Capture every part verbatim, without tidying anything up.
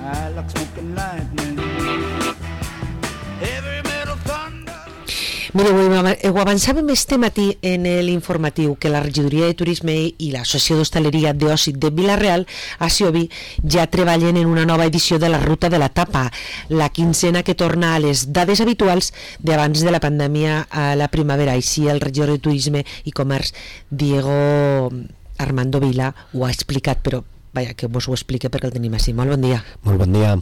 I like smoking lightning. Every metal thunder. Mireu, ho avançàvem este matí en l'informatiu que la Regidoria de Turisme i l'Associació d'Hostaleria d'Oci de Vila-real a Siobi ja treballen en una nova edició de la Ruta de la Tapa, la quinzena que torna a les dades habituals d'abans de la pandèmia a la primavera. Així el regidor de Turisme i Comerç, Diego Armando Vila, ho ha explicat, però vaja, que vos ho explique perquè el tenim així. Molt bon dia. Molt bon dia.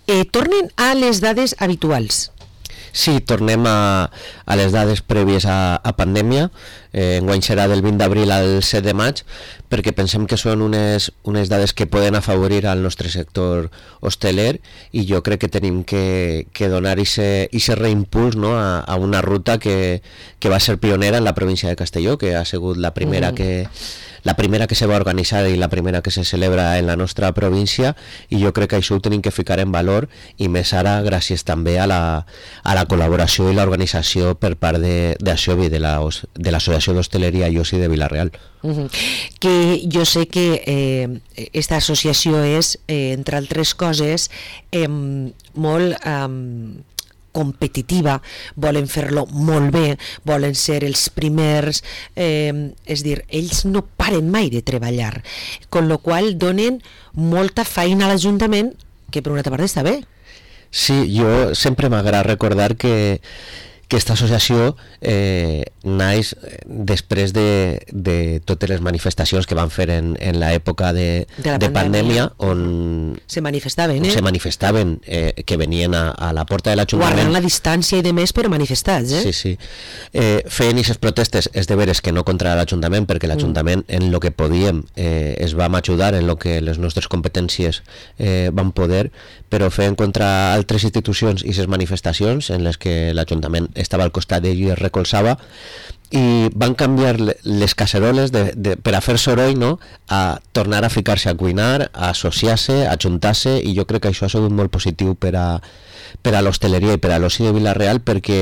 Eh, tornen a les dades habituals. Sí, tornem a, a les dades prèvies a, a pandèmia. Eh, enguany serà del vint d'abril al set de maig, perquè pensem que són unes, unes dades que poden afavorir al nostre sector hosteler, i jo crec que tenim que, que donar aquest reimpuls, no, a, a una ruta que, que va ser pionera en la província de Castelló, que ha sigut la primera mm. que la primera que se va organitzar i la primera que se celebra en la nostra província, i jo crec que això ho tenim que ficar en valor, i més ara gràcies també a la, a la col·laboració i l'organització per part de, de Asiobi, de la, de l'Associació d'Hostaleria i Oci de Vila-real. Uh-huh. Que jo sé que eh, esta associació és, eh, entre altres coses, eh, molt... Eh, competitiva, volen fer-lo molt bé, volen ser els primers, eh, és dir, ells no paren mai de treballar, con lo qual donen molta feina a l'Ajuntament, que per una altra part està bé. Sí, jo sempre m'agrada recordar que aquesta associació eh, naix després de, de totes les manifestacions que van fer en, en l'època de, de, de pandèmia, on se manifestaven, eh? se manifestaven eh, que venien a, a la porta de l'Ajuntament, guardant la distància i de més, però manifestats, eh? Sí, sí. Eh, feien aquestes protestes, és de veres que no contra l'Ajuntament, perquè l'Ajuntament mm. en lo que podíem eh, es vam ajudar, en lo que les nostres competències eh, van poder, però feien contra altres institucions i aquestes manifestacions en les que l'Ajuntament estava al costat d'ell i es recolzava, i van canviar les caceroles de, de, per a fer soroll, no?, a tornar a ficar-se a cuinar, a associar-se, a ajuntar-se, i jo crec que això ha sigut molt positiu per a, per a l'hostaleria i per a l'oci de Vila-real, perquè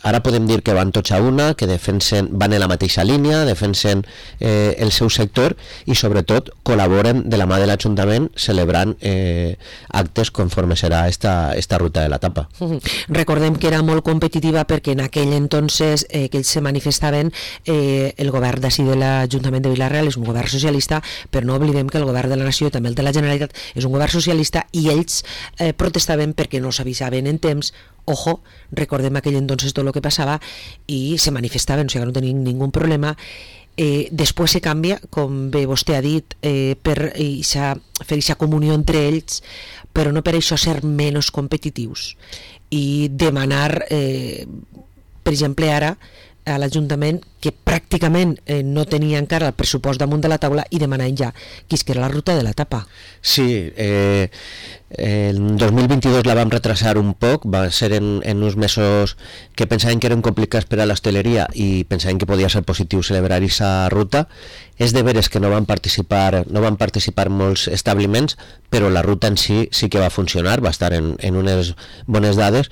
ara podem dir que van tots a una, que defensen, van en la mateixa línia, defensen eh, el seu sector, i sobretot col·laboren de la mà de l'Ajuntament celebrant eh, actes conforme serà esta, esta ruta de la tapa. Recordem que era molt competitiva perquè en aquell entonces eh, que ells se manifestaven, eh, el govern d'ací de l'Ajuntament de Vila-real és un govern socialista, però no oblidem que el govern de la Nació, també el de la Generalitat, és un govern socialista, i ells eh, protestaven perquè no s'avisaven en temps. Ojo, recordem aquell entonces tot el que passava, i se manifestaven, o sigui que no tenien ningú problema. Eh, després se canvia, com bé vostè ha dit, eh, per ixa, fer aquesta comunió entre ells, però no per això ser menys competitius i demanar, eh, per exemple ara, a l'Ajuntament, que pràcticament eh, no tenia encara el pressupost damunt de la taula, i demanant ja quisquera la ruta de la tapa. Sí, eh, el dos mil vint-i-dos la vam retrasar un poc, va ser en, en uns mesos que pensaven que eren complicats per a l'hostaleria i pensaven que podia ser positiu celebrar aquesta ruta. És de veres que no van participar no van participar molts establiments, però la ruta en si sí que va funcionar, va estar en, en unes bones dades,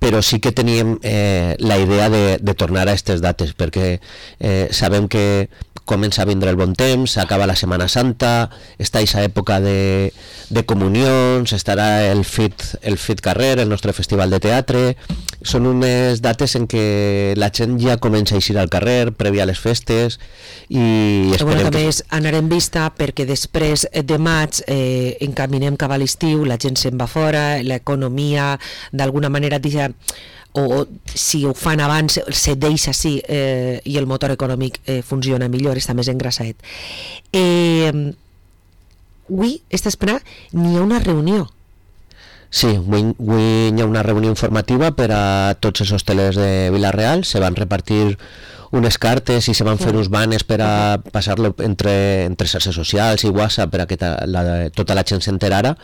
però sí que teníem eh, la idea de, de tornar a aquestes dates, perquè eh, sabem que comença a vindre el bon temps, s'acaba la Setmana Santa, està aquesta època de, de comunions, estarà el FIT, el FIT Carrer, el nostre festival de teatre. Són unes dates en què la gent ja comença a eixir al carrer, prèvia a les festes, i esperem bueno, també que... és anar en vista, perquè després de maig eh, encaminem cap a l'estiu, la gent se'n va fora, l'economia d'alguna manera deixa, o si ho fan abans se deixa així, eh, i el motor econòmic eh, funciona millor, està més engrassadet. Eh, avui, esta espera, n'hi ha una reunió. Sí, avui, avui hi ha una reunió informativa per a tots els hostelers de Vila-real. Se van repartir unes cartes i se van fer uns banners per a passar-lo entre, entre xarxes socials i WhatsApp per a que ta, la, tota la gent s'enterara,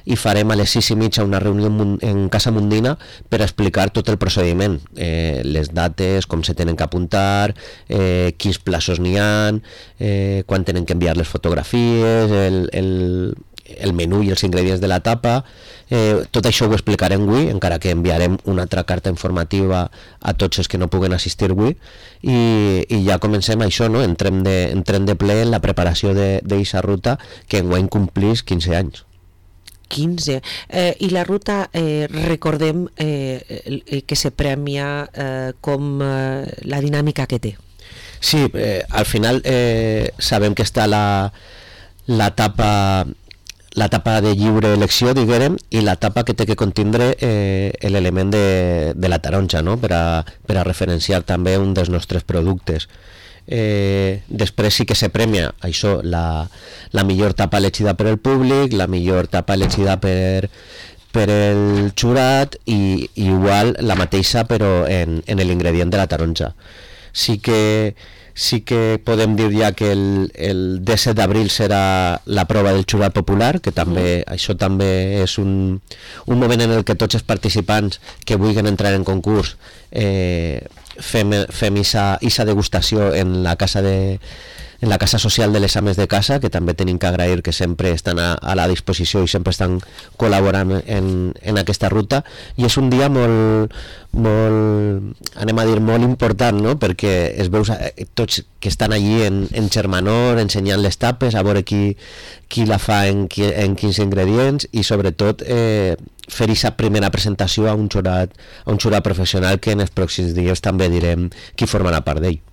i farem a les sis i mitja una reunió en, en Casa Mundina per a explicar tot el procediment, eh, les dates, com se tenen que apuntar, eh, quins plaços n'hi ha, eh, quan tenen que enviar les fotografies, el, el, el menú i els ingredients de la tapa. Eh, tot això ho explicarem avui, encara que enviarem una altra carta informativa a tots els que no puguen assistir avui, i, i ja comencem això, no? entrem, de, entrem de ple en la preparació d'aquesta ruta que enguany complís quinze anys. quinze. Eh, I la ruta, eh, recordem eh, que se premia eh, com eh, la dinàmica que té. Sí, eh, al final eh, sabem que està la l'etapa l'etapa de lliure elecció, diguem, i l'etapa que té que contindre eh, l'element de, de la taronja, no? per, a, per a referenciar també un dels nostres productes. Eh, després sí que se premia això, la, la millor tapa elegida per el públic, la millor tapa elegida per, per el jurat i, i igual la mateixa però en, en l'ingredient de la taronja. Sí que sí que podem dir ja que el, el disset d'abril serà la prova del jurat popular, que també mm. això també és un, un moment en el que tots els participants que vulguin entrar en concurs eh, fem, fem isa, isa degustació en la casa de en la casa social de les ames de casa, que també tenim que agrair que sempre estan a, a la disposició i sempre estan col·laborant en, en aquesta ruta, i és un dia molt, molt, anem a dir, molt important, no? Perquè es veus tots que estan allí en, en germanor, ensenyant les tapes, a veure qui, qui la fa en, en quins ingredients, i sobretot eh, fer aquesta primera presentació a un jurat, a un jurat professional que en els pròxims dies també direm qui formarà part d'ell.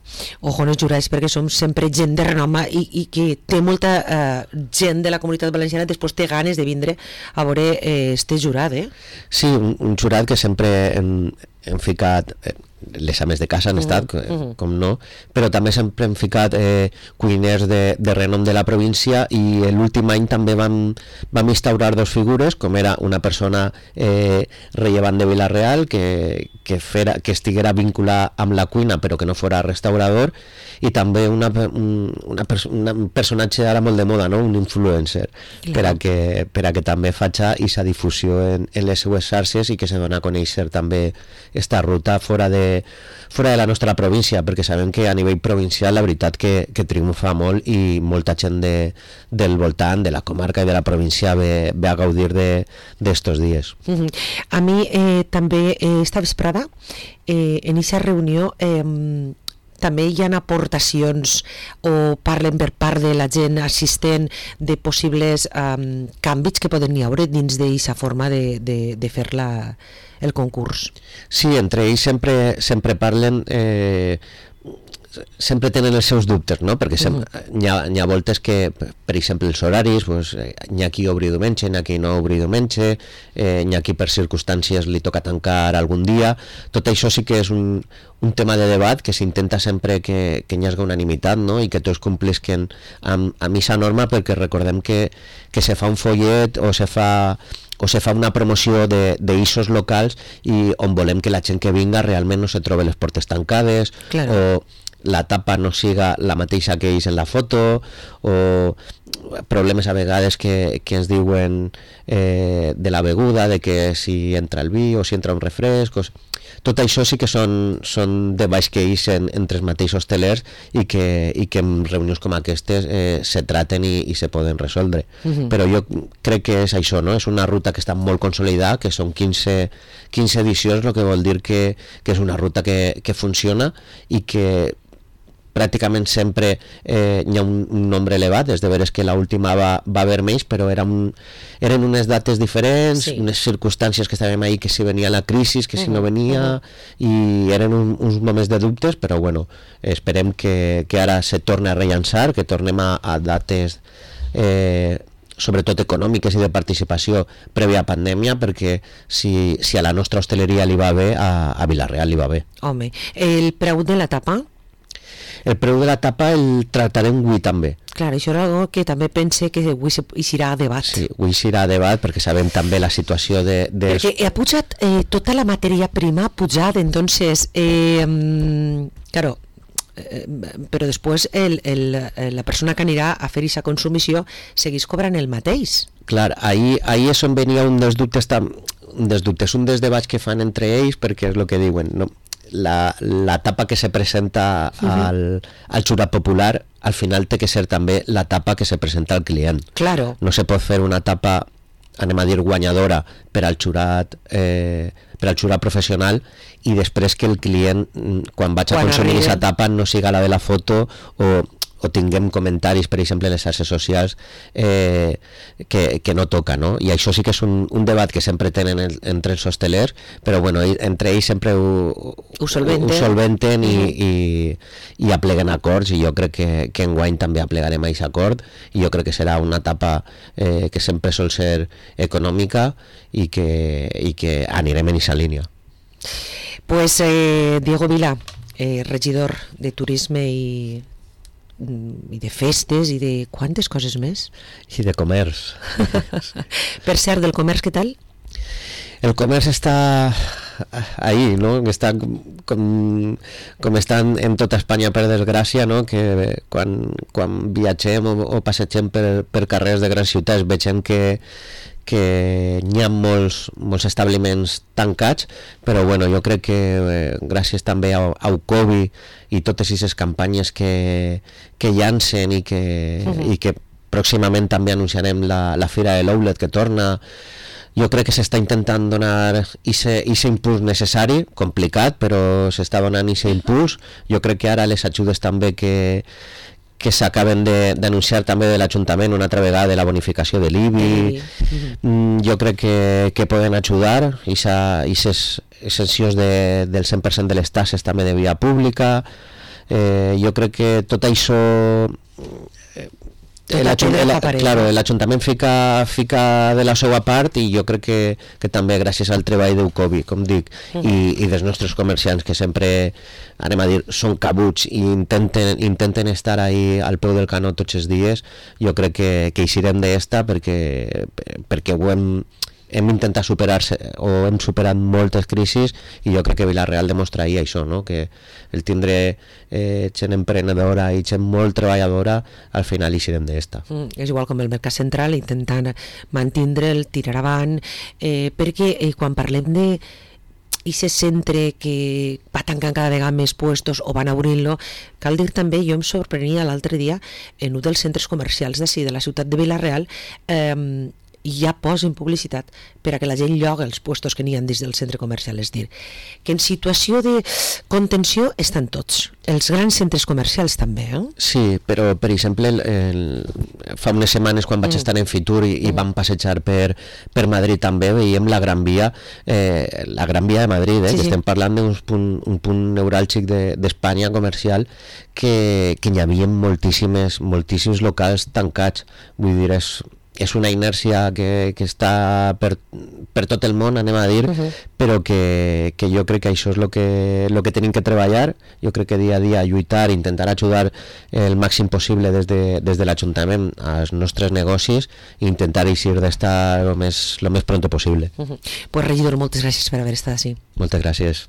Ojo, no jurats, perquè som sempre gent de renom i, i que té molta eh, gent de la comunitat valenciana, després té ganes de vindre a veure eh, este jurat, eh? Sí, un, un jurat que sempre hem, hem ficat... Eh, les ames de casa han estat, uh -huh. com no, però també sempre hem ficat eh, cuiners de, de renom de la província, i l'últim any també vam, vam instaurar dos figures, com era una persona eh, rellevant de Vila-real que, que, fera, que estiguera vinculada amb la cuina però que no fora restaurador, i també una, un, una perso una, un personatge ara molt de moda, no? Un influencer, claro. per, a que, per a que també faci aquesta difusió en, en les seues xarxes i que se dona a conèixer també esta ruta fora de fora de la nostra província, perquè sabem que a nivell provincial la veritat que, que triomfa molt, i molta gent de, del voltant, de la comarca i de la província ve, ve a gaudir d'estos dies. Uh -huh. A mi eh, també eh, esta vesprada eh, en aquesta reunió eh, també hi ha aportacions o parlen per part de la gent assistent de possibles um, canvis que poden hi haure dins d'aquesta forma de, de, de fer la, el concurs. Sí, entre ells sempre, sempre parlen... Eh, sempre tenen els seus dubtes, no? Perquè sem uh -huh. hi, ha, hi ha voltes que, per exemple, els horaris, pues, hi ha qui obri diumenge, hi ha qui no obri diumenge, eh, hi ha qui per circumstàncies li toca tancar algun dia. Tot això sí que és un, un tema de debat que s'intenta sempre que, que hi hagi unanimitat, no? I que tots complisquen amb, amb aquesta norma, perquè recordem que, que se fa un follet o se fa o se fa una promoció d'eixos locals i on volem que la gent que vinga realment no se trobe les portes tancades, claro. O la tapa no siga la mateixa que ells en la foto, o problemes a vegades que, que ens diuen eh, de la beguda, de que si entra el vi o si entra un refresc. Tot això sí que són, són debats que eixen entre els mateixos hostelers i que, i que en reunions com aquestes eh, se traten i, i se poden resoldre. Uh-huh. Però jo crec que és això, no? És una ruta que està molt consolidada, que són quinze, quinze edicions, el que vol dir que, que és una ruta que, que funciona i que pràcticament sempre eh, hi ha un, un nombre elevat. És de veres que l'última va, va haver menys, però era un, eren unes dates diferents, sí. Unes circumstàncies que estàvem ahí, que si venia la crisi, que si uh -huh, no venia, uh -huh. I eren un, uns moments de dubtes, però bueno, esperem que, que ara se torni a rellançar, que tornem a, a dates eh, sobretot econòmiques i de participació prèvia a pandèmia, perquè si, si a la nostra hostaleria li va bé, a, a Vila-real li va bé. Home, el preu de la tapa? El preu de la tapa el tractarem avui també. Clar, això era algo que també pense que avui hi serà a debat. Sí, avui serà a debat perquè sabem també la situació de... de... Perquè ha pujat eh, tota la matèria prima, ha pujat, entonces, eh, claro, eh, però després el, el, la persona que anirà a fer aquesta consumició seguís cobrant el mateix. Clar, ahí, ahí és on venia un dels dubtes, un dels dubtes, un dels debats que fan entre ells, perquè és el que diuen, no? La, la tapa que se presenta uh-huh. al, al jurat popular al final té que ser també la tapa que se presenta al client. Claro. No se pot fer una tapa, anem a dir, guanyadora per al jurat eh, per al jurat professional i després que el client, quan vaig a quan consumir aquesta tapa, no siga la de la foto o, o tinguem comentaris, per exemple, en les xarxes socials eh, que, que no toca, no? I això sí que és un, un debat que sempre tenen el, entre els hostelers, però bueno, entre ells sempre ho, ho solventen, ho solventen i, i, i apleguen acords, i jo crec que, que enguany també aplegarem a aquest acord, i jo crec que serà una etapa eh, que sempre sol ser econòmica i que, i que anirem en aquesta línia. Pues eh, Diego Vila, eh, regidor de Turisme i i de festes i de quantes coses més? I de comerç. Per cert, del comerç, què tal? El comerç està ahí, no? Està com, com estan en tota Espanya, per desgràcia, no? Que quan, quan viatgem o, o passegem per, per carrers de grans ciutats vegem que que n'hi ha molts, molts establiments tancats, però bueno, jo crec que eh, gràcies també a, a Ucovi i totes aquestes campanyes que, que llancen i que, uh-huh. i que pròximament també anunciarem la, la Fira de l'Outlet que torna, jo crec que s'està intentant donar aquest impuls necessari, complicat, però s'està donant aquest impuls. Jo crec que ara les ajudes també que que s'acaben d'anunciar també de l'Ajuntament una altra vegada de la bonificació de l'I B I, mm, jo crec que, que poden ajudar, i aquestes exencions de, del cent per cent de les taxes també de via pública, eh, jo crec que tot això eh, l'Ajuntament fica, fica de la seva part, i jo crec que, que també gràcies al treball d'Ucovi, com dic, uh -huh. i, i dels nostres comerciants que sempre, anem a dir, són cabuts i intenten, intenten estar ahí al peu del canó tots els dies, jo crec que, que eixirem d'esta perquè, perquè ho hem hem intentat superar-se o hem superat moltes crisis, i jo crec que Vila-real demostra ahir això, no? Que el tindre eh, gent emprenedora i gent molt treballadora, al final eixirem d'esta. Mm, és igual com el Mercat Central, intentant mantindre'l, tirar avant, eh, perquè eh, quan parlem de i se centre que va tancant cada vegada més puestos o van obrint-lo, cal dir també, jo em sorprenia l'altre dia en un dels centres comercials d'ací, de la ciutat de Vila-real, eh, ja posen publicitat per a que la gent lloga els puestos que n'hi ha dins del centre comercial. És dir, que en situació de contenció estan tots, els grans centres comercials també, eh? Sí, però per exemple el, el, fa unes setmanes quan vaig mm. estar en Fitur i, i mm. vam passejar per, per Madrid també, veiem la Gran Via, eh, la Gran Via de Madrid, eh, sí, que sí. Estem parlant d'un punt, un punt neuràlgic d'Espanya de, comercial, que, que hi havia moltíssimes, moltíssims locals tancats. Vull dir, és és una inèrcia que, que està per, per tot el món, anem a dir, uh-huh. però que, que jo crec que això és el que, lo que tenim que treballar. Jo crec que dia a dia lluitar, intentar ajudar el màxim possible des de, des de l'Ajuntament als nostres negocis i intentar eixir d'estar el més, lo més pronto possible. Uh-huh. Pues regidor, moltes gràcies per haver estat així. Moltes gràcies.